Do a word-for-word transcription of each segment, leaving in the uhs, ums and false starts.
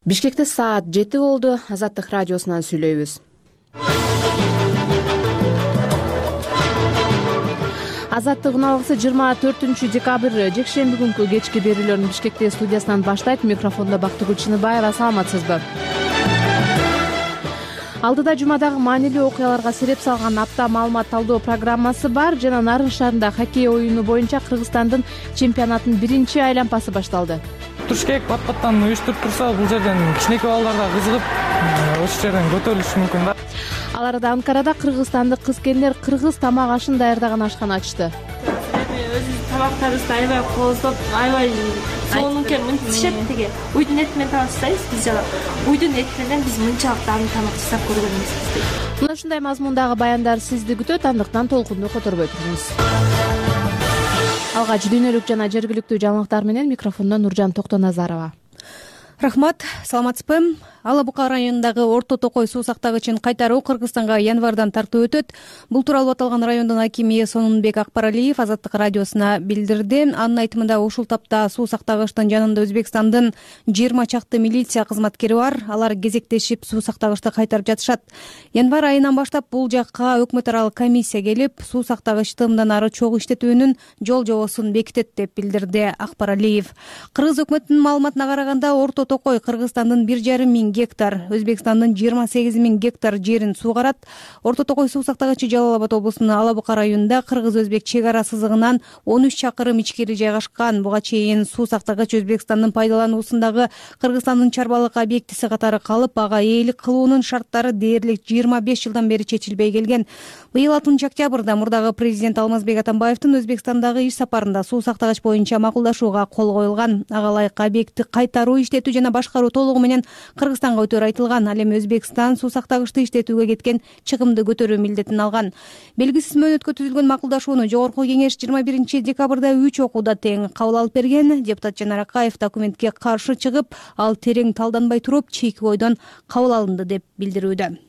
Бишкекте саат жети болду. Азаттык радиосунан сүйлөйбүз. Азаттык убагысы жыйырма төртүнчү декабрь жекшемби күнкү кечки берүүлөрүн Бишкектеги студиясынан баштайт. Микрофондо Бактыгүл Чыныбаева. Саламатсызбы? Алдыда жумадагы маанилүү окуяларга сереп салган апта маалымат талдоо программасы бар жана Нарын шаарында хоккей оюну боюнча Кыргызстандын чемпионатынын биринчи айлампасы башталды. Бишкек пат-паттан уюштуруп турса, бул жерден кичинекей балдар да кызыгып, ошол жерден көтөрүлүшү мүмкүн да. Ал арада Анкарада кыргызстандык кыз-келиндер кыргыз тамак ашын даярдаган ашкана ачты. Өзүбүздүн тамактарыбызды аябай кооздоп, аябай сонунке мынтишет тиги. Уйдун эти менен тамак жасайбыз биз жана. Уйдун эти менен биз мынчалык дагы тамак жасап көргөн эмеспиз. Мына ушундай мазмундагы баяндар сизди күтөт, андыктан толкунду которбой туруңуз. Алгач дүйнөлүк жана жергиликтүү жаңылыктар менен микрофондо Нуржан Токтоназарова. Рахмат, саламатсызбы? Ала Бука районундагы Орто Токой суу сактагычын кайтаруу Кыргызстанга январдан тартуу өтөт. Бул тууралуу аталган райондун акими Сонунбек Акбаралиев Азаттык радиосуна билдирди. Анын айтымында ушул тапта суу сактагычтын жанында Өзбекстандын жыйырма чакты милиция кызматкери бар. Алар кезектешип суу сактагычты кайтарып жатышат. Январь айынан баштап бул жакка өкмөт аралык комиссия келип, суу сактагычты мындан ары чогуу иштетүүнүн жол жобосун бекитет деп билдирди Акбаралиев. Кыргыз өкмөтүнүн маалыматына караганда Орто Токой Кыргызстандын бир жарым миң гектар, Өзбекстандын жыйырма сегиз миң гектар жерин суугарат. Орто Токой суу сактагычы Жалал Абад облусунун Ала Бука районунда кыргыз-өзбек чек ара сызыгынан он үч чакырым ичкери жайгашкан. Буга чейин суу сактагыч Өзбекстандын пайдалануусундагы Кыргызстандын чарбалык объектиси катары калып, ага ээлик кылуунун шарттары дээрлик жыйырма беш жылдан бери чечилбей келген. Быйыл алтынчы октябрда мурдагы президент Алмазбек Атамбаевдин Өзбекстандагы иш сапарында суу сактагыч боюнча макулдашууга кол коюлган. Ага ылайык объектти кайтаруу, иштетүү жана башкаруу толугу менен Кыргызстанга өтөр айтылган. Ал эми Өзбекстан суу сактагычты иштетүүгө кеткен чыгымды көтөрүү милдетин алган. Белгисиз мөөнөткө түзүлгөн макулдашууну жогорку кеңеш жыйырма биринчи декабрда үч окууда тең кабыл алып берген. Депутат Жанар Акаев документке каршы чыгып, ал терең талданбай туруп, чийки ойдон кабыл алынды деп билдирүүдө.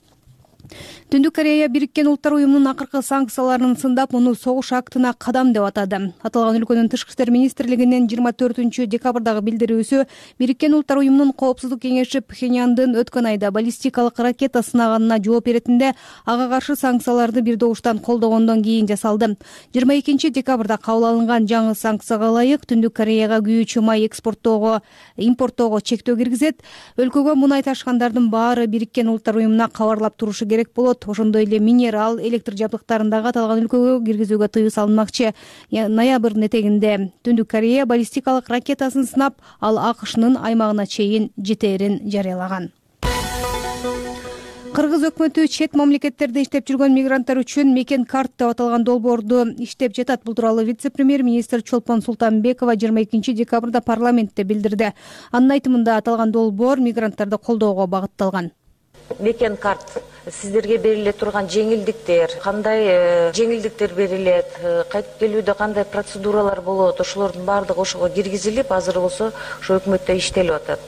Түндүк Корея Бириккен Улуттар уюмунун акыркы санкцияларын сындап, муну согуш актына кадам деп атады. Аталган өлкөнүн тышкы иштер министрлигинин жыйырма төртүнчү декабрдагы билдирүүсү Бириккен Улуттар уюмунун коопсуздук кеңеши Пхеньяндын өткөн айда баллистикалык ракета сынаганына жооп беретинде ага каршы санкцияларды бир добуштан колдогондон кийин жасалды. жыйырма экинчи декабрда кабыл алынган жаңы санкцияга ылайык Түндүк Кореяга күйүүчү май экспорттоого, импорттоого чектөө киргизет. Өлкөгө мунай ташкандардын баары Бириккен Улуттар уюмуна кабарлап турушу керек болот. Ошондой эле минерал, электр жабдыктарын дагы аталган өлкөгө киргизүүгө тыюу салынмакчы. Ноябрдын этегинде Түндүк Корея баллистикалык ракетасын сынап, ал АКШнын аймагына чейин жетээрин жарыялаган. Кыргыз өкмөтү чет мамлекеттерде иштеп жүргөн мигранттар үчүн мекен карт деп аталган долбоорду иштеп жатат. Бул тууралуу вице-премьер-министр Чолпон Султанбекова жыйырма экинчи декабрда парламентте билдирди. Анын айтымында аталган долбоор мигранттарды колдоого багытталган. Мекен карт сиздерге бериле турган жеңилдиктер, кандай жеңилдиктер берилет, кайтып келүүдө кандай процедуралар болот, ошолордун баардыгы ошого киргизилип, азыр болсо ошо өкмөттө иштелип атат.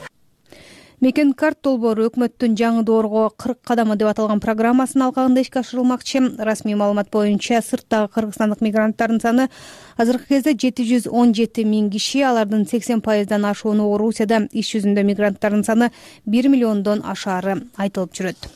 Мекен карт долбоору өкмөттүн жаңы доорго кырк кадамы деп аталган программасынын алкагында ишке ашырылмакчы. Расмий маалымат боюнча сырттагы кыргызстандык мигранттардын саны азыркы кезде жети жүз он жети миң киши, алардын сексен пайыздан ашууну Орусияда, иш жүзүндө мигранттардын саны бир миллиондон ашаары айтылып жүрөт.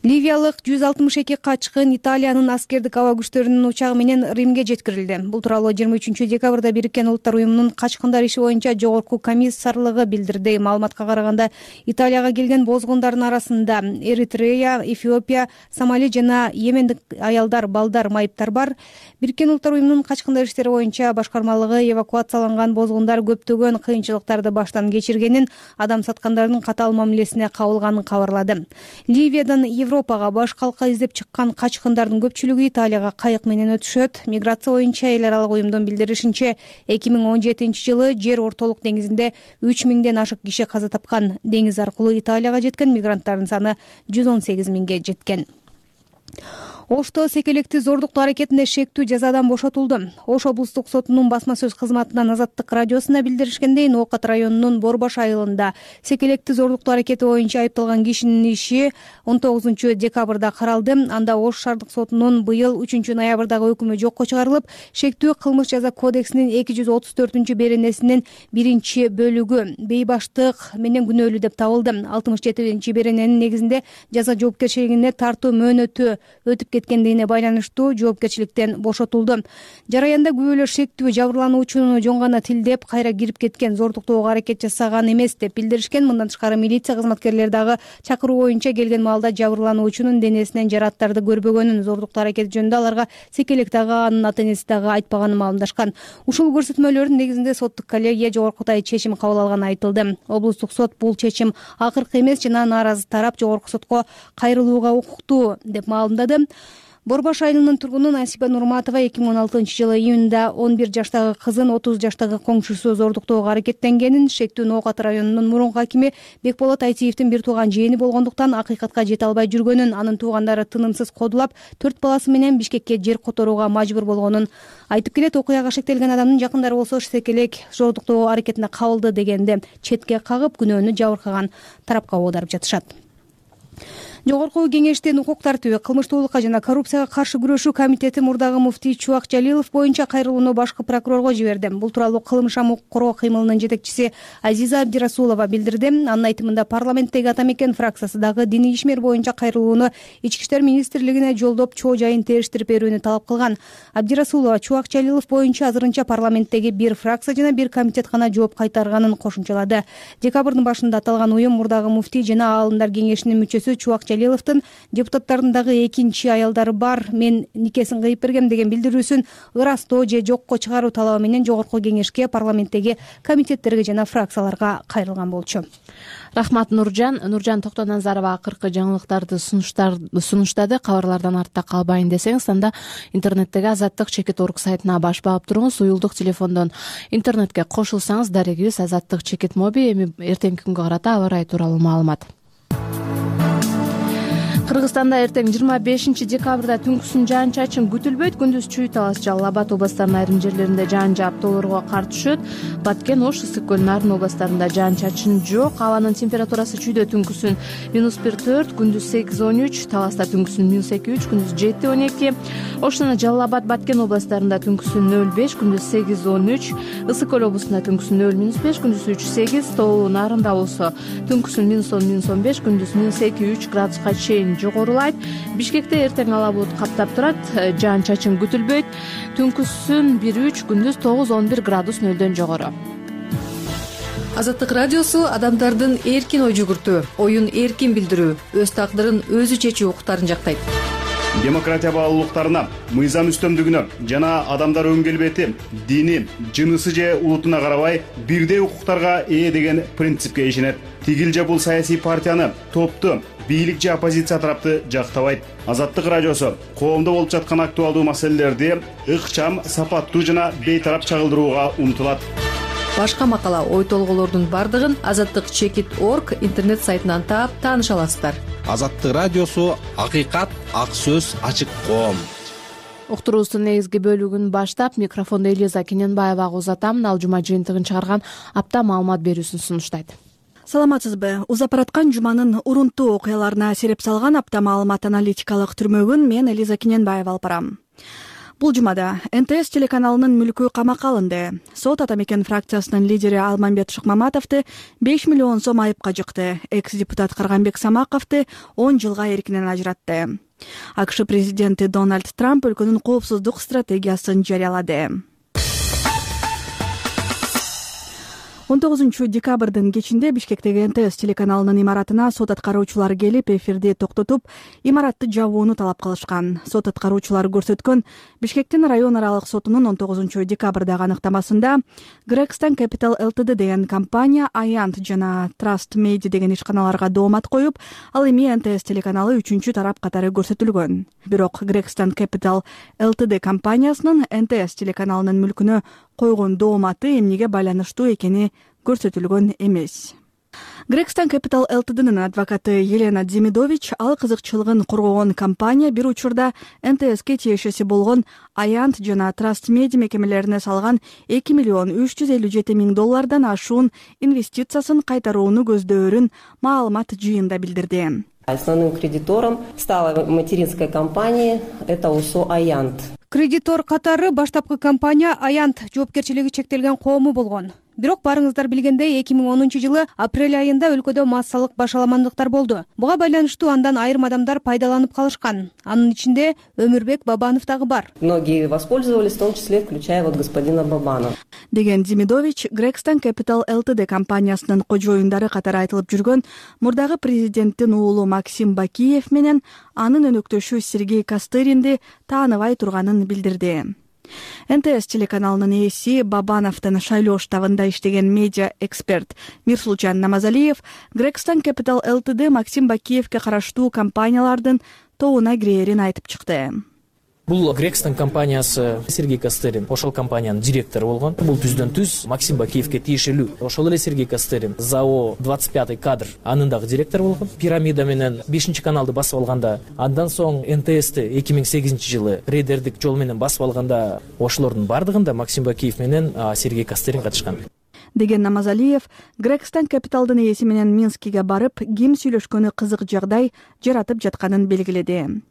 Ливиялык жүз алтымыш эки качкын Италиянын аскердик аба күчтөрүнүн учагы менен Римге жеткирилди. Бул тууралуу жыйырма үчүнчү декабрда Бириккен Улуттар уюмунун качкындар иши боюнча жогорку комиссарлыгы билдирди. Маалыматка караганда, Италияга келген бозгундардын арасында Эритрея, Эфиопия, Сомали жана Йемендик аялдар, балдар, майыптар бар. Бириккен Улуттар уюмунун качкындар иштери боюнча башкармалыгы эвакуацияланган бозгундар көптөгөн кыйынчылыктарды баштан кечиргенин, адам саткандардын катаал мамилесине кабылганын кабарлады. Ливиядан Европага баш калка издеп чыккан качкындардын көпчүлүгү Италияга кайык менен өтүшөт. Миграция боюнча эл аралык уюмдун билдиришинче, эки миң он жетинчи жылы жер ортолук деңизинде үч миңден ашык киши каза тапкан. Деңиз аркылуу Италияга жеткен мигранттардын саны жүз он сегиз миңге жеткен. Ошто секелекти зордуктоо аракетинде шектүү жазадан бошотулду. Ош облустук сотунун басма сөз кызматынан Азаттык радиосуна билдиришкендей, Ноокат районунун Борбаш айылында секелекти зордуктоо аракети боюнча айыпталган кишинин иши он тогузунчу декабрда каралды. Анда Ош шаардык сотунун быйыл үчүнчү ноябрдагы өкүмү жокко чыгарылып, шектүү кылмыш жаза кодексинин эки жүз отуз төртүнчү беренесинин биринчи бөлүгү бейбаштык менен күнөөлүү деп табылды. алтымыш жетинчи берененин негизинде жаза жоопкерчилигине тартуу мөөнөтү өтүп кеткендигине байланыштуу жоопкерчиликтен бошотулду. Жараянда күбөлөр шектүү жабырлануучуну жөн гана тилдеп кайра кирип кеткен, зордуктоого аракет жасаган эмес деп билдиришкен. Мындан тышкары милиция кызматкерлери дагы чакыруу боюнча келген маалда жабырлануучунун денесинен жараттарды көрбөгөнүн, зордуктоо аракети жөнүндө аларга секелек дагы анын ата энеси дагы айтпаганын маалымдашкан. Ушул көрсөтмөлөрдүн негизинде соттук коллегия жогоркутай чечим кабыл алганы айтылды. Облустук сот бул чечим акыркы эмес жана нааразы тарап жогорку сотко кайрылууга укуктуу деп маалымдады. Борбаш айылынын тургуну Насипа Нурматова эки миң он алтынчы жылы июнда он бир жаштагы кызын отуз жаштагы коңшусу зордуктоого аракеттенгенин, шектүү Ноокат районунун мурунку акими Бекболот Айтиевдин бир тууган жээни болгондуктан акыйкатка жете албай жүргөнүн, анын туугандары тынымсыз кодулап, төрт баласы менен Бишкекке жер которууга мажбур болгонун айтып келет. Окуяга шектелген адамдын жакындары болсо секелек зордуктоо аракетине кабылды дегенде четке кагып, күнөөнү жабыркаган тарапка оодарып жатышат. Жогорку кеңештин укук тартиби, кылмыштуулукка жана коррупцияга каршы күрөшүү комитети мурдагы муфтий Чубак Жалилов боюнча кайрылууну башкы прокурорго жиберди. Бул тууралуу кылмыш укук коргоо кыймылынын жетекчиси Азиза Абдирасулова билдирди. Анын айтымында парламенттеги ата мекен фракциясы дагы диний ишмер боюнча кайрылууну Ички иштер министрлигине жолдоп чоо жайын териштирип берүүнү талап кылган. Абдирасулова Чубак Жалилов боюнча азырынча парламенттеги бир фракция жана бир комитет гана жооп кайтарганын кошумчалады. Декабрдын башында аталган уюм мурдагы муфтий жана аалымдар кеңешинин мүчөсү Чубак Жалиловдун депутаттардын дагы экинчи аялдары бар, мен никесин кыйып бергем деген билдирүүсүн ырастоо же жокко чыгаруу талабы менен жогорку кеңешке, парламенттеги комитеттерге жана фракцияларга кайрылган болчу. Рахмат Нуржан. Нуржан Токтоназарова акыркы жаңылыктарды сунуштады. Кабарлардан артта калбайын десеңиз, анда интернеттеги Азаттык чекит орг сайтына баш баап туруңуз. Уюлдук телефондон интернетке кошулсаңыз, дарегибиз Азаттык чекит моби. Эми эртеңки күнгө карата аба ырайы тууралуу маалымат. Кыргызстанда эртең жыйырма бешинчи декабрда түнкүсүн жаан-чачын күтүлбөйт. Күндүз Чүй-Талас, Жалал Абад областарынын айрым жерлеринде жаан жаап тоолорго кар түшөт. Баткен, Ош, Ысык көл, Нарын областарында жаан-чачын жок. Абанын температурасы Чүйдө түнкүсүн минус бир төрт, күндүз сегиз он үч, Таласта түнкүсүн минус эки үч, күндүз жети он эки. Ош жана Жалал Абад, Баткен областарында түнкүсүн нөл беш, күндүз сегиз он үч, Ысык көл областында түнкүсүн нөл минус беш, күндүз үч сегиз, Тоолуу Нарында болсо түнкүсүн минус он минус он беш, күндүз минус эки үч градуска чейин жогорулайт. Бишкекте эртең ала булут каптап турат, жаан-чачын күтүлбөйт. Түнкүсүн бир үч, күндүз тогуз он бир градус нөлдөн жогору. Азаттык радиосу адамдардын эркин ой жүгүртүү, оюн эркин билдирүү, өз тагдырын өзү чечүү укуктарын жактайт. Демократия баалуулуктарына, мыйзам үстөмдүгүнө жана адамдар өн келбети, дини, жынысы же улутуна карабай бирдей укуктарга ээ деген принципке ишенет. Тигил же бул саясий партияны, топту, бийлик же оппозиция тарапты жактабайт. Азаттык радиосу коомдо болуп жаткан актуалдуу маселелерди ыкчам, сапаттуу жана бейтарап чагылдырууга умтулат. Башка макала, ой толголордун бардыгын Азаттык чекит орг интернет сайтынан таап тааныша аласыздар. Азаттык радиосу акыйкат, ак сөз, ачык коом. Уктуруубуздун негизги бөлүгүн баштап, микрофондо Элиза Кененбаевага узатам. Ал жума жыйынтыгын чыгарган апта маалымат берүүсүн сунуштайт. Саламатсызбы? Узап бараткан жуманын урунттуу окуяларына сереп салган апта маалымат аналитикалык түрмөгүн мен Элиза Кененбаева алып барам. Бул жумада эн тэ эс телеканалынын мүлкү камакка алынды. Сот ата мекен фракциясынын лидери Алмамбет Шыкмаматовду беш миллион сом айыпка жыкты. Экс-депутат Карганбек Самаковду он жылга эркинен ажыратты. АКШ президенти Дональд Трамп өлкөнүн коопсуздук стратегиясын жарыялады. он тогузунчу декабрдын кечинде Бишкектеги эн тэ эс телеканалынын имаратына сот аткаруучулары келип, эфирди токтотуп, имаратты жабууну талап кылышкан. Сот аткаруучулары көрсөткөн Бишкектин район аралык сотунун он тогузунчу декабрдагы аныктамасында Gregson Capital Ltd деген компания Аянт жана Trust Media деген ишканаларга доомат коюп, ал эми эн тэ эс телеканалы үчүнчү тарап катары көрсөтүлгөн. Бирок Gregson Capital Ltd компаниясынын эн тэ эс телеканалынын мүлкүнө койгон дооматы эмнеге байланыштуу экени көрсөтүлгөн эмес. Gregson Capital Ltd'нын адвокаты Елена Демидович ал кызыкчылыгын коргогон компания бир учурда эн тэ эске тиешеси болгон Аянт жана Trust Media мекемелерине салган эки миллион үч жүз элүү жети миң доллардан ашуун инвестициясын кайтарууну көздөөрүн маалымат жыйында билдирди. Основным кредитором стала материнская компания, это УСО Аянт. Кредитор катары баштапкы компания Аянт жоопкерчилиги чектелген коому болгон. Бирок барыңыздар билгендей эки миң онунчу жылы апрель айында өлкөдө массалык башаламандыктар болду. Буга байланыштуу андан айрым адамдар пайдаланып калышкан. Анын ичинде Өмүрбек Бабанов дагы бар. Многие воспользовались, в том числе включая вот господина Бабанова. Деген Демидович Gregson Capital Ltd компаниясынын кожоюндары катары айтылып жүргөн мурдагы президенттин уулу Максим Бакиев менен анын өнөктөшү Сергей Костыринди тааныбай турганын билдирди. эн тэ эс телеканалынын ээси Бабановдун шайлоо штабында иштеген медиа эксперт Мирсулжан Намазалиев Gregson Capital Ltd Максим Бакиевке караштуу компаниялардын тобуна кирээрин айтып чыкты. Бул Gregson компаниясы Сергей Костырин ошол компаниянын директору болгон. Бул түздөн түз Максим Бакиевке тиешелүү. Ошол эле Сергей Костырин ЗАО двадцать пятый кадр анын дагы директору болгон. Пирамида менен бешинчи каналды басып алганда, андан соң эн тэ эсти эки миң сегизинчи жылы рейдердик жол менен басып алганда, ошолордун бардыгында Максим Бакиев менен Сергей Костырин катышкан. Деген Намазалиев Gregson Capital'дын ээси менен Минскиге барып, ким сүйлөшкөнү кызык жагдай жаратып жатканын белгиледи.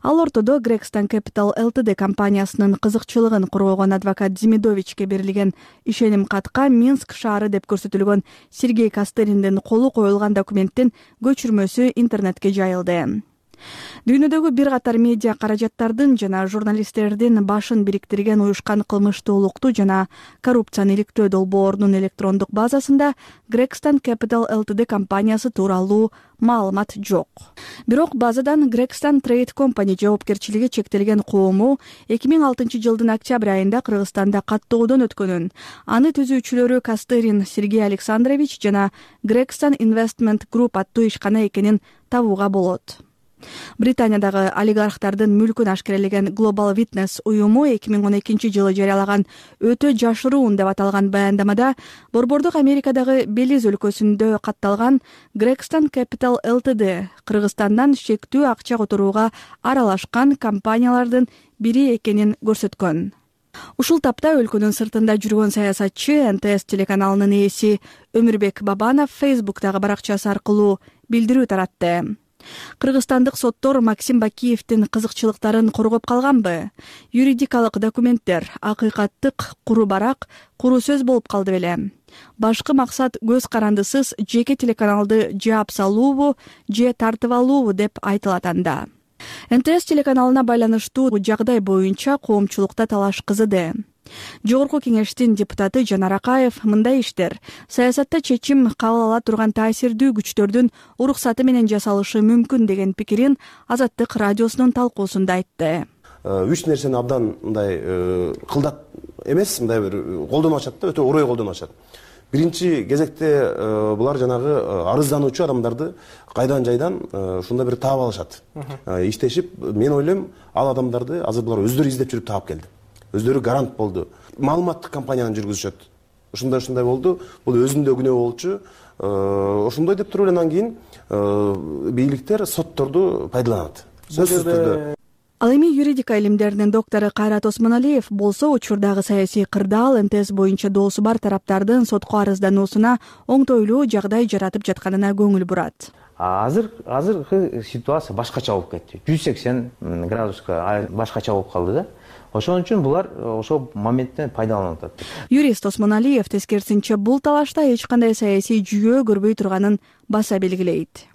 Ал ортодо Gregson Capital Ltd компаниясынын кызыкчылыгын коргогон адвокат Демидовичке берилген ишеним катка Минск шаары деп көрсөтүлгөн Сергей Костыриндин колу коюлган документтин көчүрмөсү интернетке жайылды. Дүйнөдөгү бир катар медиа каражаттардын жана журналисттердин башын бириктирген уюшкан кылмыштуулукту жана коррупцияны иликтөө долбоорунун электрондук базасында Gregson Capital Ltd компаниясы тууралуу маалымат жок. Бирок базадан Gregson Trade Company жоопкерчилиги чектелген коому эки миң алтынчы жылдын октябрь айында Кыргызстанда каттоодон өткөнүн, аны түзүүчүлөрү Костырин Сергей Александрович жана Gregson Investment Group аттуу ишкана экенин табууга болот. Британиядагы олигархтардын мүлкүн ашкерелеген Global Witness уюму эки миң он экинчи жылы жарыялаган өтө жашыруун деп аталган баяндамада Борбордук Америкадагы Белиз өлкөсүндө катталган Gregson Capital Ltd Кыргызстандан шектүү акча которууга аралашкан компаниялардын бири экенин көрсөткөн. Ушул тапта өлкөнүн сыртында жүргөн саясатчы эн тэ эс телеканалынын ээси Өмүрбек Бабанов Facebook'тагы баракчасы аркылуу билдирүү таратты. Кыргызстандык соттор Максим Бакиевдин кызыкчылыктарын коргоп калганбы? Юридикалык документтер акыйкаттык куру барак, куру сөз болуп калды беле? Башкы максат көз карандысыз жеке телеканалды жаап салуубу, же тартып алуубу деп айтылат анда. эн тэ эс телеканалына байланыштуу жагдай боюнча коомчулукта талаш кызыды. Жогорку кеңештин депутаты Жанар Акаев мындай иштер саясатта чечим кабыл ала турган таасирдүү күчтөрдүн уруксаты менен жасалышы мүмкүн деген пикирин Азаттык радиосунун талкуусунда айтты. Үч нерсени абдан мындай кылдат эмес, мындай бир колдонуп атышат да, өтө орой колдонуп атышат. Биринчи кезекте булар жанагы арыздануучу адамдарды кайдан жайдан ушундай бир таап алышат. Иштешип, мен ойлойм, ал адамдарды азыр булар өздөрү издеп жүрүп таап келди. Өздөрү гарант болду. Маалыматтык компанияны жүргүзүшөт. Ушундай ушундай болду. Бул өзүндө күнөө болчу. Ошондой деп туруп анан кийин бийликтер сотторду пайдаланат. Сөзсүз түрдө. Ал эми юридика илимдеринин доктору Кайрат Осмоналиев болсо учурдагы саясий кырдаал эн тэ эс боюнча доосу бар тараптардын сотко арыздануусуна оңтойлуу жагдай жаратып жатканына көңүл бурат. Азыр азыркы ситуация башкача болуп кетти. жүз сексен градуска башкача болуп калды да. Ошон үчүн булар ошол моменттен пайдаланып атат. Юрист Осмоналиев тескерисинче бул талашта эч кандай саясий жүйөө көрбөй турганын баса белгилейт.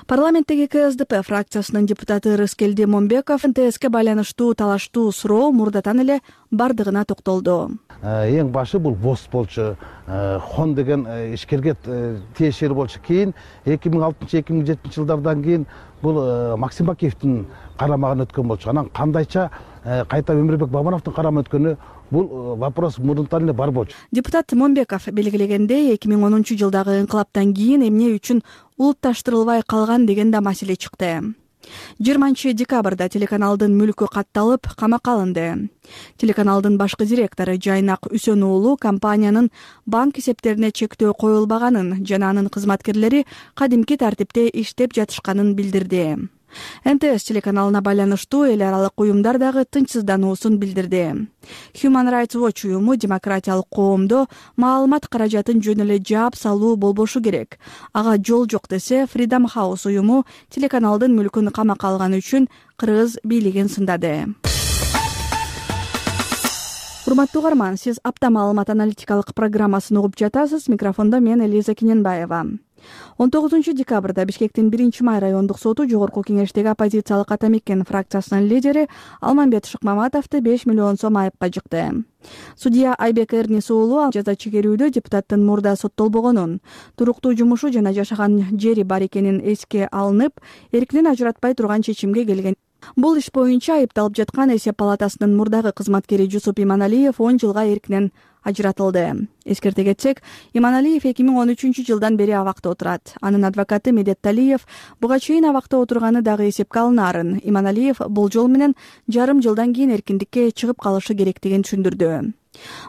Парламенттеги ка эс дэ пэ фракциясынын депутаты Рыскелди Момбеков эн тэ эске байланыштуу талаштуу суроо мурдатан эле бардыгына токтолду. Эң башы бул бос болчу, хон деген ишкерге тиешелүү болчу. Кийин эки миң алтынчы эки миң жетинчи жылдардан кийин бул Максим Бакиевдин карамагына өткөн болчу. Анан кандайча кайта Өмүрбек Бабановдун карамагына өткөнү бул вопрос мурунтан эле бар болчу. Депутат Момбеков белгилегендей, эки миң онунчу жылдагы инкылаптан кийин эмне үчүн улутташтырылбай калган деген да маселе чыкты. жыйырманчы декабрда телеканалдын мүлкү катталып камакка алынды. Телеканалдын башкы директору Жайнак Үсөн уулу компаниянын банк эсептерине чектөө коюлбаганын жана анын кызматкерлери кадимки тартипте иштеп жатышканын билдирди. эн тэ эс телеканалына байланыштуу эл аралык уюмдар дагы тынчсыздануусун билдирди. Human Rights Watch уюму демократиялык коомдо маалымат каражатын жөн эле жаап салуу болбошу керек. Ага жол жок десе, Freedom House уюму телеканалдын мүлкүн камакка алганы үчүн кыргыз бийлигин сындады. Урматтуу угарман, сиз апта маалымат аналитикалык программасын угуп жатасыз. Микрофондо мен Элиза Кененбаева. он тогузунчу декабрда Бишкектин биринчи май райондук соту жогорку кеңештеги оппозициялык Ата Мекен фракциясынын лидери Алмамбет Шыкмаматовду беш миллион сом айыпка жыкты. Судья Айбек Эрнис уулу жаза чегерүүдө депутаттын мурда соттолбогонун, туруктуу жумушу жана жашаган жери бар экенин эске алынып, эркинен ажыратпай турган чечимге келген. Бул иш боюнча айыпталып жаткан Эсеп палатасынын мурдагы кызматкери Жусуп Иманалиев он жылга эркинен ажыратылды. Эскерте кетсек, Иманалиев эки миң он үчүнчү жылдан бери абакта отурат. Анын адвокаты Медет Талиев буга чейин абакта отурганы дагы эсепке алынаарын. Иманалиев бул жол менен жарым жылдан кийин эркиндикке чыгып калышы керектигин түшүндүрдү.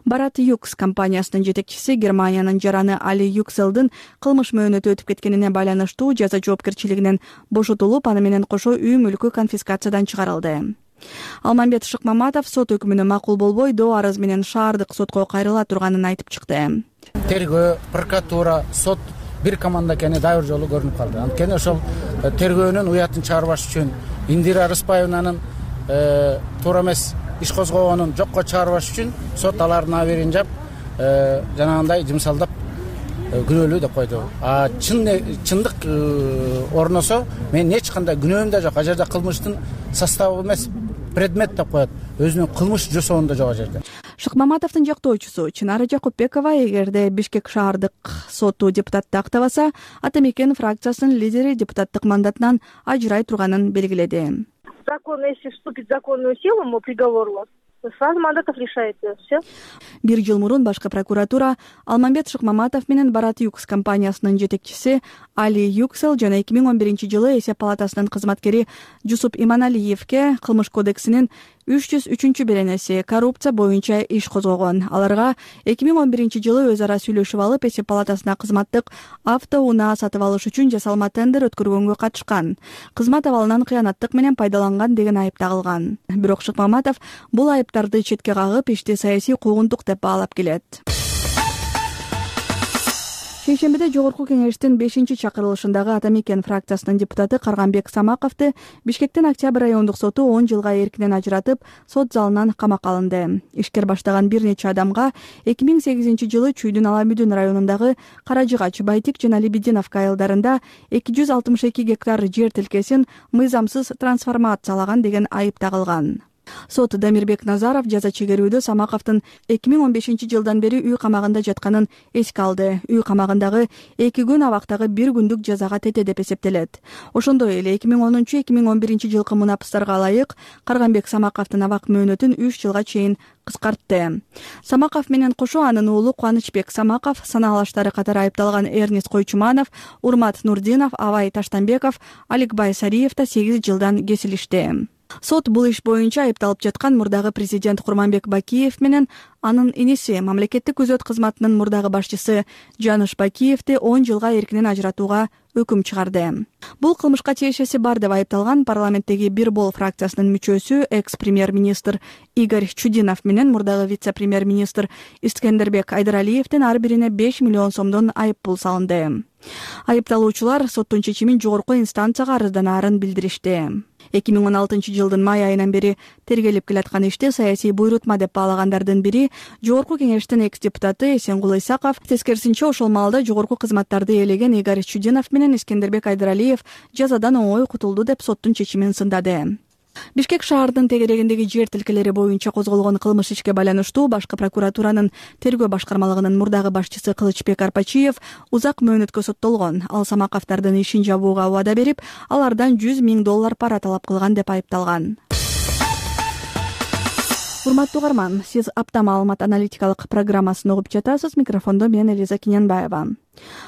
Барат Юкс компаниясынын жетекчиси Германиянын жараны Али Юкселдин кылмыш мөөнөтү өтүп кеткенине байланыштуу жаза жоопкерчилигинен бошотулуп, аны менен кошо үй мүлкү конфискациядан чыгарылды. Алмамбет Шыкмаматов сот өкүмүнө макул болбой, доо арыз менен шаардык сотко кайрыла турганын айтып чыкты. Тергөө, прокуратура, сот бир команда экени дайыр жолу көрүнүп калды. Анткени ошол тергөөнүн уятын чыгарбаш үчүн Индира Рыспаевнанын туура эмес иш козгогонун жокко чыгарбаш үчүн сот алардын аберин жап, жанагындай жымсалдап күнөөлүү деп койду. А чын чындык орносо мен эч кандай күнөөм да жок. А жерде кылмыштын составы эмес, предмет деп коет. Өзүнүн кылмыш жасоонда жок а жерде. Шыкмаматовдун жактоочусу Чынара Жакупбекова эгерде Бишкек шаардык соту депутатты актабаса, Ата Мекен фракциясынын лидери депутаттык мандатынан ажырай турганын белгиледи. Закон, если вступит в законную силу, мы приговор у вас, сразу мандатов лишается. Все. Бир жыл мурун башкы прокуратура Алмамбет Шыкмаматов менен Барат Юкс компаниясынын жетекчиси Али Юксел жана эки миң он биринчи жылы Эсеп палатасынын кызматкери Жусуп Иманалиевке кылмыш кодексинин үч жүз үчүнчү беренеси коррупция боюнча иш козгогон. Аларга эки миң он биринчи жылы өз ара сүйлөшүп алып, Эсеп палатасына кызматтык автоунаа сатып алыш үчүн жасалма тендер өткөргөнгө катышкан. Кызмат абалынан кыянаттык менен пайдаланган деген айып тагылган. Бирок Шыкмаматов бул айыптарды четке кагып, ишти саясий куугунтук деп баалап келет. Шейшембиде жогорку кеңештин бешинчи чакырылышындагы Ата Мекен фракциясынын депутаты Карганбек Самаковду Бишкектин Октябрь райондук соту он жылга эркинен ажыратып, сот залынан камакка алынды. Ишкер баштаган бир нече адамга эки миң сегизинчи жылы Чүйдүн Алабүдүн районундагы Каражыгач, Байтик жана Лебединовка айылдарында эки жүз алтымыш эки гектар жер тилкесин мыйзамсыз трансформациялаган деген айып тагылган. Сот Дамирбек Назаров жаза чегерүүдө Самаковдун эки миң он бешинчи жылдан бери үй камагында жатканын эске алды. Үй камагындагы эки күн абактагы бир күндүк жазага тете деп эсептелет. Ошондой эле эки миң онунчу эки миң он биринчи жылкы мунапыстарга ылайык Карганбек Самаковдун абак мөөнөтүн үч жылга чейин кыскартты. Самаков менен кошо анын уулу Кубанычбек Самаков, санаалаштары катары айыпталган Эрнис Койчуманов, Урмат Нурдинов, Абай Таштанбеков, Аликбай Сариев да сегиз жылдан кесилишти. Сот бул иш боюнча айыпталып жаткан мурдагы президент Курманбек Бакиев менен анын иниси мамлекеттик күзөт кызматынын мурдагы башчысы Жаныш Бакиевди он жылга эркинен ажыратууга өкүм чыгарды. Бул кылмышка тиешеси бар деп айыпталган парламенттеги Бир бол фракциясынын мүчөсү экс-премьер-министр Игорь Чудинов менен мурдагы вице-премьер-министр Искендербек Айдаралиевдин ар бирине беш миллион сомдон айып пул салынды. Айыпталуучулар соттун чечимин жогорку инстанцияга арызданаарын билдиришти. эки миң он алтынчы жылдын май айынан бери тергелип келаткан ишти саясий буйрутма деп баалагандардын бири жогорку кеңештин экс-депутаты Эсенгул Исаков. Тескерисинче, ошол маалда жогорку кызматтарды ээлеген Игорь Чудинов менен Искендербек Айдаралиев жазадан оңой кутулду деп соттун чечимин сындады. Бишкек шаарынын тегерегиндеги жер тилкелери боюнча козголгон кылмыш ишке байланыштуу башкы прокуратуранын тергөө башкармалыгынын мурдагы башчысы Кылычбек Арпачиев узак мөөнөткө соттолгон. Ал Самаковдардын ишин жабууга убада берип, алардан жүз миң доллар пара талап кылган деп айыпталган. урматтуу угарман, сиз апта маалымат аналитикалык программасын угуп жатасыз. Микрофондо мен Элиза Киненбаева.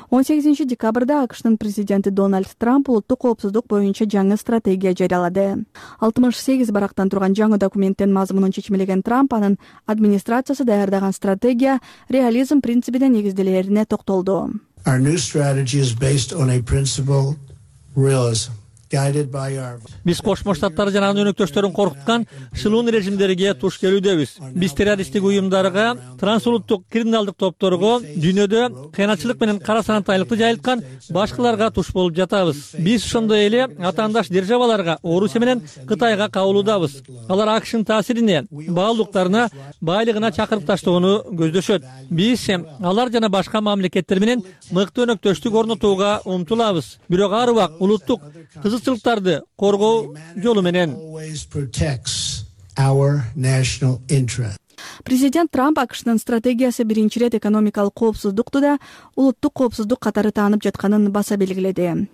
он сегизинчи декабрда АКШнын президенти Дональд Трамп улуттук коопсуздук боюнча жаңы стратегия жарыялады. алтымыш сегиз барактан турган жаңы документтин мазмунун чечмелеген Трамп анын администрациясы даярдаган стратегия реализм принцибине негизделерине токтолду. Our new strategy is based on a principle realism. Биз Кошмо Штаттар жана анын өнөктөштөрүн коркуткан шылуун режимдерге туш келүүдөбүз. Биз террористтик уюмдарга, трансулуттук криминалдык топторго, дүйнөдө кыянатчылык менен кара санатайлыкты жайылткан башкаларга туш болуп жатабыз. Биз ошондой эле атаандаш державаларга, Орусия менен Кытайга кабылуудабыз. Алар АКШнын таасирине, баалуулуктарына, байлыгына чакырып таштоону көздөшөт. Биз алар жана башка мамлекеттер менен мыкты өнөктөштүк орнотууга умтулабыз. Бирок ар убак улуттук кызыкчылыктарды коргоо жолу менен. Президент Трамп АКШнын стратегиясы биринчи ирет экономикалык коопсуздукту да улуттук коопсуздук катары таанып жатканын баса белгиледи.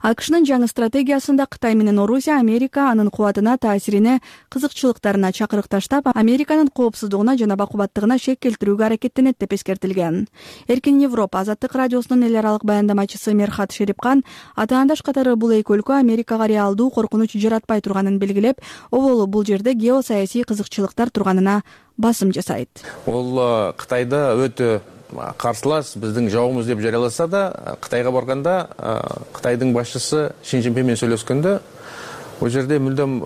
АКШнын жаңы стратегиясында Кытай менен Орусия Америка анын кубатына, таасирине, кызыкчылыктарына чакырык таштап, Американын коопсуздугуна жана бакубаттыгына шек келтирүүгө аракеттенет деп эскертилген. Эркин Европа Азаттык радиосунун эл аралык баяндамачысы Мерхат Шерипкан атаандаш катары бул эки өлкө Америкага реалдуу коркунуч жаратпай турганын белгилеп, оболу бул жерде геосаясий кызыкчылыктар турганына басым жасайт. Ол Кытайда өтө карсылас, биздин жабуумуз деп жарыяласа да, Кытайга барганда Кытайдын башчысы Шин Цзиньпин менен сүйлөшкөндө ол жерде мүлдөм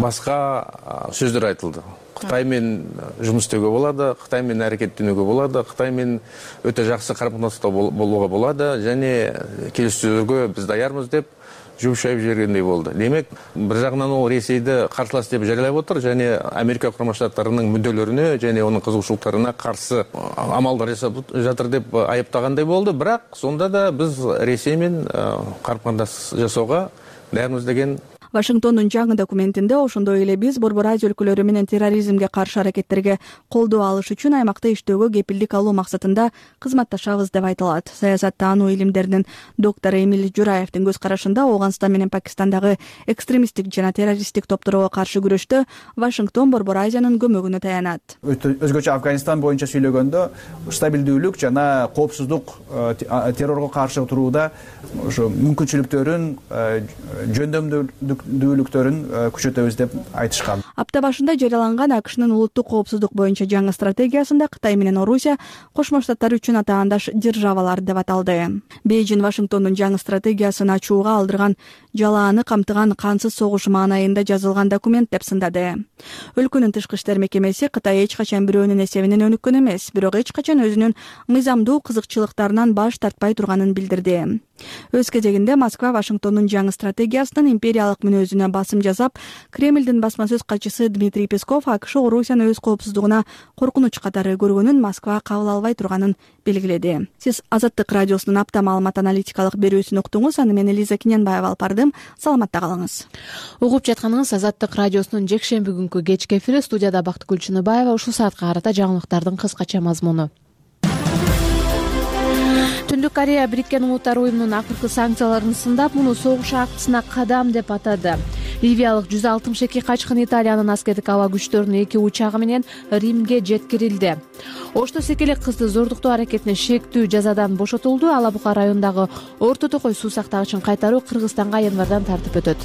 башка сөздөр айтылды. Кытай менен жумуш істөөгө болот, Кытай менен аракеттенүүгө болот, Кытай менен өтө жакшы карым-катнашта болууга болот, және келиштөөгө биз даярбыз деп жумшайып жибергендей болду. Демек, бир жагынан ол Ресейди карсылас деп жарыялап отур, және Америка Курама Штаттарынын мүддөлөрүнө және анын кызыкчылыктарына каршы амалдар жасап жатыр деп айыптагандай болду. Бирок сонда да биз Ресей менен карым-катнаш жасоого даярбыз деген. Вашингтондун жаңы документинде ошондой эле биз Борбор Азия өлкөлөрү менен терроризмге каршы аракеттерге колдоо алыш үчүн аймакта иштөөгө кепилдик алуу максатында кызматташабыз деп айтылат. Саясаттануу илимдеринин доктору Эмиль Жураевдин көз карашында Ооганстан менен Пакистандагы экстремисттик жана террористтик топторго каршы күрөштө Вашингтон Борбор Азиянын көмөгүнө таянат. Өзгөчө Афганистан боюнча сүйлөгөндө стабилдүүлүк жана коопсуздук террорго каршы турууда ошо мүмкүнчүлүктөрүн, жөндөмдүүлүктөрүн күчөтөбүз деп айтышкан. Апта башында жарыяланган АКШнын улуттук коопсуздук боюнча жаңы стратегиясында Кытай менен Орусия Кошмо Штаттар үчүн атаандаш державалар деп аталды. Бейжин Вашингтондун жаңы стратегиясын ачууга алдырган жалааны камтыган кансыз согуш маанайында жазылган документ деп сындады. Өлкөнүн тышкы иштер мекемеси Кытай эч качан бирөөнүн эсебинен өнүккөн эмес, бирок эч качан өзүнүн мыйзамдуу кызыкчылыктарынан баш тартпай турганын билдирди. Өз кезегинде Москва Вашингтондун жаңы стратегиясынын империялык мүнөзүнө басым жасап, Кремлдин басма сөз катчысы Дмитрий Песков АКШ Орусияны өз коопсуздугуна коркунуч катары көргөнүн Москва кабыл албай турганын белгиледи. Сиз Азаттык радиосунун апта маалымат аналитикалык берүүсүн уктуңуз. Аны мен Элиза Киненбаева алып бардым. Саламатта калыңыз. Угуп жатканыңыз Азаттык радиосунун жекшемби күнкү кечки эфири. Студияда Бактыгүл Чыныбаева. Ушул саатка карата жаңылыктардын кыскача мазмуну. Түндүк Корея Бириккен Улуттар уюмунун акыркы санкцияларын сындап, муну согуш актысына кадам деп атады. Ливиялык жүз алтымыш эки качкын Италиянын аскердик аба күчтөрүнүн эки учагы менен Римге жеткирилди. Ошто секелек кызды зордуктоо аракетине шектүү жазадан бошотулду. Ала Бука районундагы Орто Токой суу сактагычын кайтаруу Кыргызстанга январдан тартып өтөт.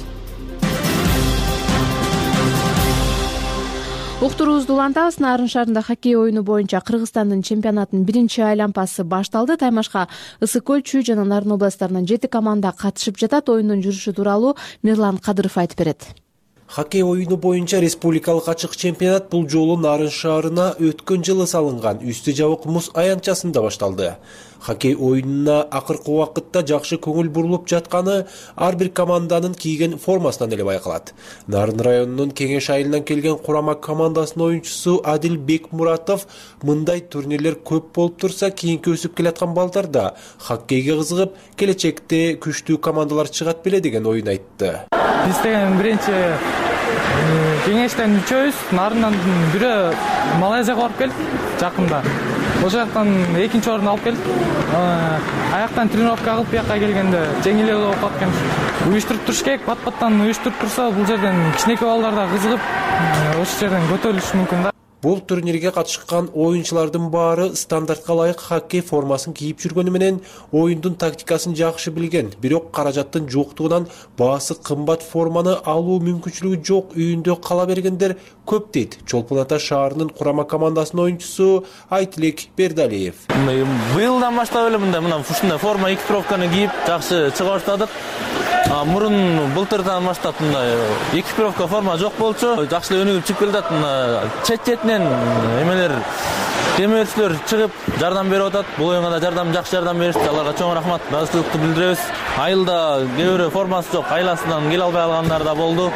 Уктуруубузду улантабыз. Нарын шаарында хоккей оюну боюнча Кыргызстандын чемпионатынын биринчи айланпасы башталды. Таймашка Ысык Көл, Чүй жана Нарын областтарынан жети команда катышып жатат. Оюндун жүрүшү тууралуу Мирлан Кадыров айтып берет. Хоккей оюну боюнча республикалык ачык чемпионат бул жолу Нарын шаарына өткөн жылы салынган үстү жабык муз аянтчасында башталды. Хоккей оюнуна акыркы убакытта жакшы көңүл бурулуп жатканы ар бир команданын кийген формасынан эле байкалат. Нарын районунун Кеңеш айылынан келген Курама командасынын оюнчусу Адил Бекмуратов мындай турнирлер көп болуп турса, кийинки өсүп келаткан балдарда хоккейге кызыгып, келечекте күчтүү командалар чыгат беле деген оюн айтты. Биз деген биринчи Кеңештен үчөөбүз, Нарындан бирөө Малайзияга барып келдик жакында. ошол жактан экинчи орунду алып келдик. Аяктан тренировка кылып бияка келгенде жеңил эле болуп калат экен. Уюштуруп туруш керек, бат-баттан уюштуруп турса, бул жерден кичинекей балдар да кызыгып, ошол жерден көтөрүлүшү мүмкүн да. Бул турнирге катышкан оюнчулардын баары стандартка ылайык хоккей формасын кийип жүргөнү менен оюндун тактикасын жакшы билген, бирок каражаттын жоктугунан баасы кымбат форманы алуу мүмкүнчүлүгү жок үйүндө кала бергендер көп дейт Чолпон Ата шаарынын курама командасынын оюнчусу Айтилек Бердалиев. Быйылдан баштап эле мындай мына ушундай форма экипировканы кийип жакшы чыга баштадык. Мурун былтырдан баштап мындай экипировка форма жок болчу, жакшы эле өнүгүп чыгып келатат. Мына чет-четинен эмелер темирчилер чыгып жардам берип атат. Бул оюнга да жардам жакшы жардам беришти. Аларга чоң рахмат, ыраазычылыкты билдиребиз. Айылда кээ бирөө формасы жок, айласынан келе албай калгандар да болду.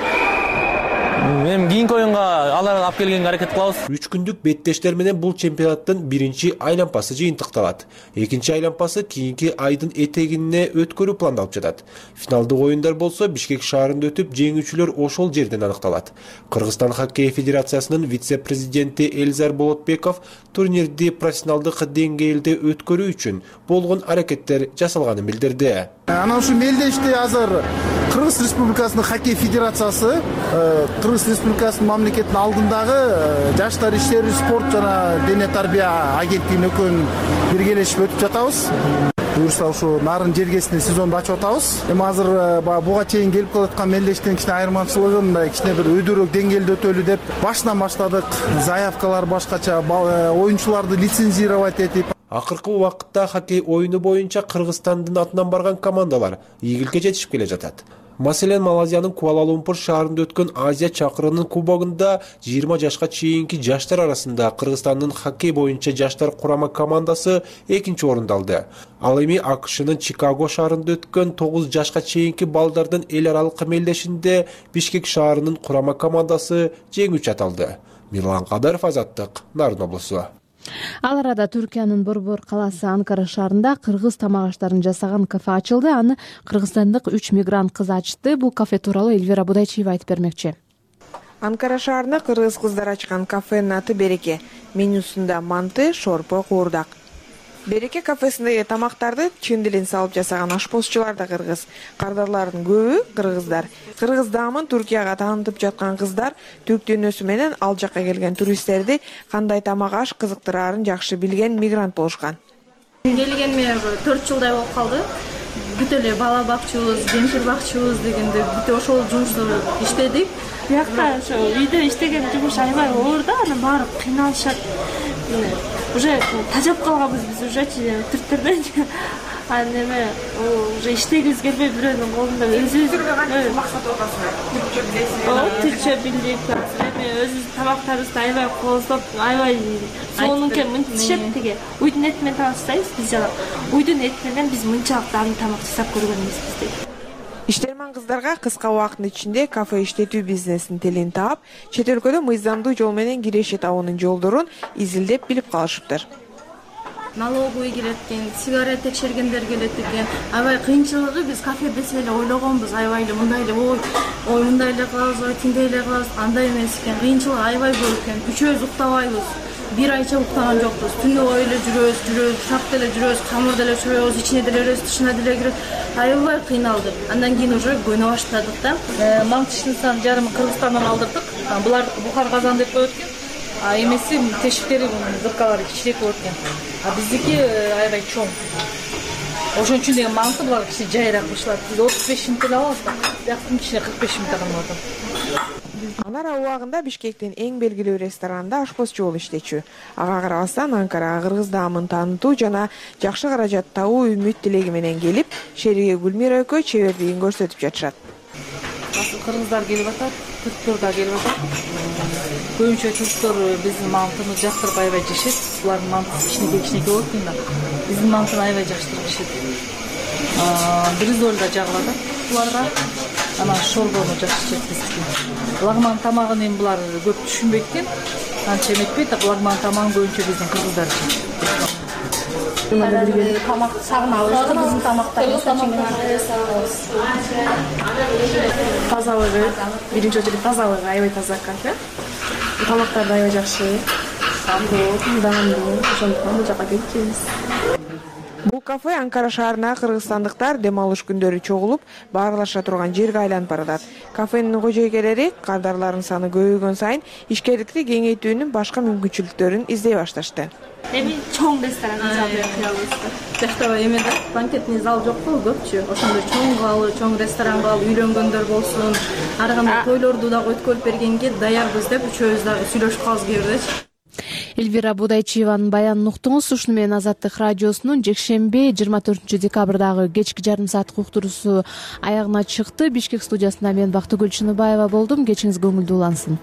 Эми кийинки оюнга аларды алып келгенге аракет кылабыз. үч күндүк беттештер менен бул чемпионаттын биринчи айланпасы жыйынтыкталат. Экинчи айланпасы кийинки айдын этегине өткөрүү пландалып жатат. Финалдык оюндар болсо Бишкек шаарында өтүп, жеңүүчүлөр ошол жерден аныкталат. Кыргызстан хоккей федерациясынын вице-президенти Элзар Болотбеков турнирди профессионалдык деңгээлде өткөрүү үчүн болгон аракеттер жасалганын билдирди. Анан ушу мелдешти азыр Кыргыз Республикасынын хоккей федерациясы, Кыргыз Республикасынын мамлекеттин алдындагы жаштар иштери, спорт жана дене тарбия агенттигинин экөөнүн биргелешип өтүп жатабыз. Буюрса ушу нарын жергесинде сезонду ачып атабыз. Эми азыр буга чейин келип калаткан мелдештин кичине айырмачылыгы мындай кичине бир өйдөрөөк деңгээлде өтөлү деп башынан баштадык. Заявкалар башкача, оюнчуларды лицензировать этип. Акыркы убакытта хоккей оюну боюнча Кыргызстандын атынан барган командалар ийгиликке жетишип келе жатат. Маселен, Малайзиянын Куала-Лумпур шаарында өткөн Азия чакырынын кубогунда жыйырма жашка чейинки жаштар арасында Кыргызстандын хоккей боюнча жаштар курама командасы экинчи орунду алды. Ал эми АКШнын Чикаго шаарында өткөн тогуз жашка чейинки балдардын эл аралык мелдешинде Бишкек шаарынын курама командасы жеңүүчү аталды. Мирлан Кадыров, Азаттык, Нарын облусу. Ал арада Түркиянын Борбор калаасы Анкара шаарында кыргыз тамак аштарын жасаган кафе ачылды. Аны кыргызстандык үч мигрант кыз ачты. Бул кафе тууралуу Элвира Будайчиева айтып бермекчи. Анкара шаарында кыргыз кыздар ачкан кафенин аты Береке. Менюсунда манты, шорпо, куурдак. Береке кафесиндеги тамактарды чын дилин салып жасаган ашпозчулар да кыргыз. Кардарлардын көбү кыргыздар. Кыргыз даамын Туркияга таанытып жаткан кыздар түрк дүйнөсү менен ал жакка келген туристтерди кандай тамак аш кызыктыраарын жакшы билген мигрант болушкан. Келгениме төрт жылдай болуп калды. Бүт эле бала бакчубуз, жемшир бакчубуз дегенде бүт ошол жумушту иштедик. Биякта ошо үйдө иштеген жумуш аябай оор да, анан баары кыйналышат. Уже тажап калганбыз биз ужечи түрктерден. Анан эме уже иштегибиз келбей бирөөнүн колунда өзүбүз максат отасыз. Тилче билдик, эми өзүбүздүн тамактарыбызды аябай кооздоп, аябай сонунке мынтишет теге. Уйдун эти менен тамак жасайбыз биз жана. Уйдун эти менен биз мынчалык аны тамак жасап көргөн эмеспиз дейт. Иштерман кыздарга кыска убакыттын ичинде кафе иштетүү бизнесинин телин таап, чет өлкөдө мыйзамдуу жол менен киреше табуунун жолдорун изилдеп билип калышыптыр. Налоговый келет экен, сигарет текшергендер келет экен. Аябай кыйынчылыгы биз кафе десе эле ойлогонбуз, аябай эле мындай эле ой, ой мындай эле кылабыз, ой тиндей эле кылабыз, андай эмес экен. Кыйынчылыгы аябай көп экен. Үчөөбүз уктабайбыз. Бир айча уктаган жокпуз. Түнү ой эле жүрөбүз, жүрөбүз, шап деле жүрөбүз, камыр деле чөбөбүз, ичине деле киребиз, тышына деле киребиз. Аябай кыйналдык. Андан кийин уже көнө баштадык да. Маңчыштын сан жарымын Кыргызстандан алдырдык. Булардыкы Бухар казан деп коет экен. А эмеси тешиктери зыркалары кичирээк болот экен. А биздики аябай чоң. Ошон үчүн деген маңкы булар кичине жайыраак бышылат. Биз отуз беш минут эле алабыз да. Бияктын ичине кырк беш минутта калып атат. Анар убагында Бишкектин эң белгилүү ресторанында ашпозчу болуп иштечү. Ага карабастан Анкарага кыргыз даамын таанытуу жана жакшы каражат табуу үмүт тилеги менен келип, Шериге Гүлмира экөө чебердигин көрсөтүп жатышат. Кыргыздар келип атат, түрктөр да келип атат. Көбүнчө түрктөр биздин мантыны жактырып аябай жешет. Булардын мантысы кичинекей-кичинекей болот экен да. Биздин мантыны аябай жактырып жешет. Бризоль да жагып атат буларга. Анан шорбону жакшы жешет биздики. Лагман тамагын эми булар көп түшүнбөйт экен. Анча эметпейт, а лагман тамагын көбүнчө биздин кыргыздар жейт. Тамак сагынабыз, биздин тамактарыбыз. Тазалыгы, биринчи очередь тазалыгы аябай таза кафе. Тамактар да аябай жакшы. сапуу, даамдуу, ошондуктан бул жака келип жейбиз. Бул кафе Анкара шаарына кыргызстандыктар дем алыш күндөрү чогулуп, баарлаша турган жерге айланып баратат. Кафенин кожойкелери кардарлардын саны көбөйгөн сайын ишкерликти кеңейтүүнүн башка мүмкүнчүлүктөрүн издей башташты. Эми чоң ресторан кыялыбызда. Жакта эмеде банкетный зал жок болу көпчү. Ошондой чоң калы, чоң ресторанга алып үйлөнгөндөр болсун, ар кандай тойлорду дагы өткөрүп бергенге даярбыз деп үчөөбүз дагы сүйлөшүп калабыз кээ. Эльвира Будайчиеванын баянын уктуңуз. Ушуну менен Азаттык радиосунун жекшемби жыйырма төртүнчү декабрдагы кечки жарым сааттык уктуруусу аягына чыкты. Бишкек студиясында мен Бактыгүл Чыныбаева болдум. Кечиңиз көңүлдүү улансын.